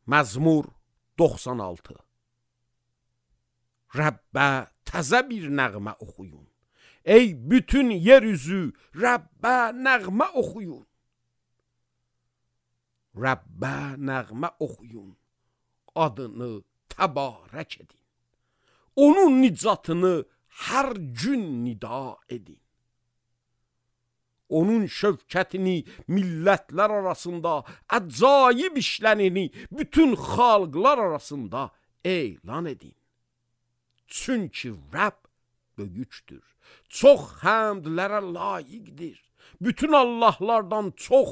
Məzmur 96. Rəbbə təzə bir nəğmə oxuyun. Ey bütün yeryüzü, Rəbbə nəğmə oxuyun. Rəbbə nəğmə oxuyun, adını təbarək edin. Onun nicatını hər gün nida edin. Onun şövkətini millətlər arasında, əcaib işlərini bütün xalqlar arasında elan edin. Çünki Rəbb böyükdür, çox həmdlərə layiqdir. Bütün Allahlardan çox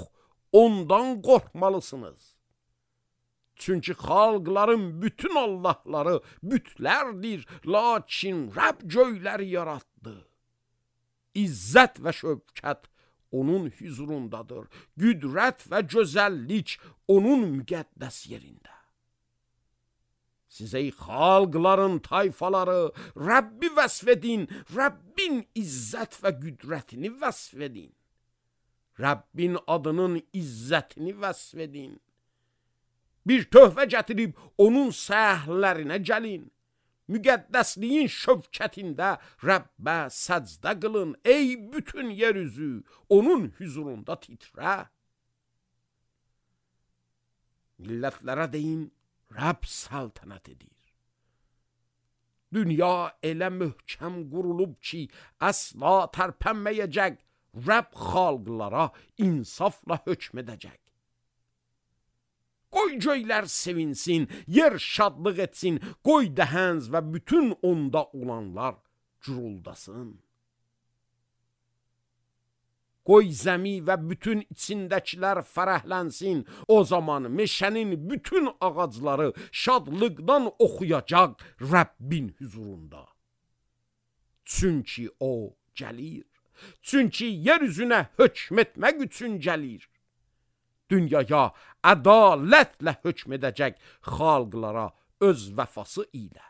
ondan qorxmalısınız. Çünki xalqların bütün Allahları bütlərdir, lakin Rəbb göyləri yaratdı. İzzət və şövkət onun hüzurundadır. Qüdrət və gözəllik onun müqəddəs yerində. Siz ey xalqların tayfaları, Rəbbi vəsf edin, Rəbbin izzət və qüdrətini vəsf edin. Rəbbin adının izzətini vəsf edin. Bir töhfə gətirib onun səhərlərinə gəlin. Müqəddəsliyin şövkətində Rəbbə səcdə qılın. Ey bütün yeryüzü, onun hüzurunda titrə. Millətlərə deyin, Rəbb səltənət edir. Dünya elə möhkəm qurulub ki, əsla tərpənməyəcək. Rəbb xalqlara insafla hökm edəcək. Qoy göylər sevinsin, yer şadlıq etsin, qoy dəhənz və bütün onda olanlar guruldasın. Qoy zəmi və bütün içindəkilər fərəhlənsin, o zaman meşənin bütün ağacları şadlıqdan oxuyacaq Rəbbin hüzurunda. Çünki o gəlir, çünki yer üzünə hökm etmək üçün gəlir. Dünyaya ədalətlə hökm edəcək xalqlara öz vəfası ilə.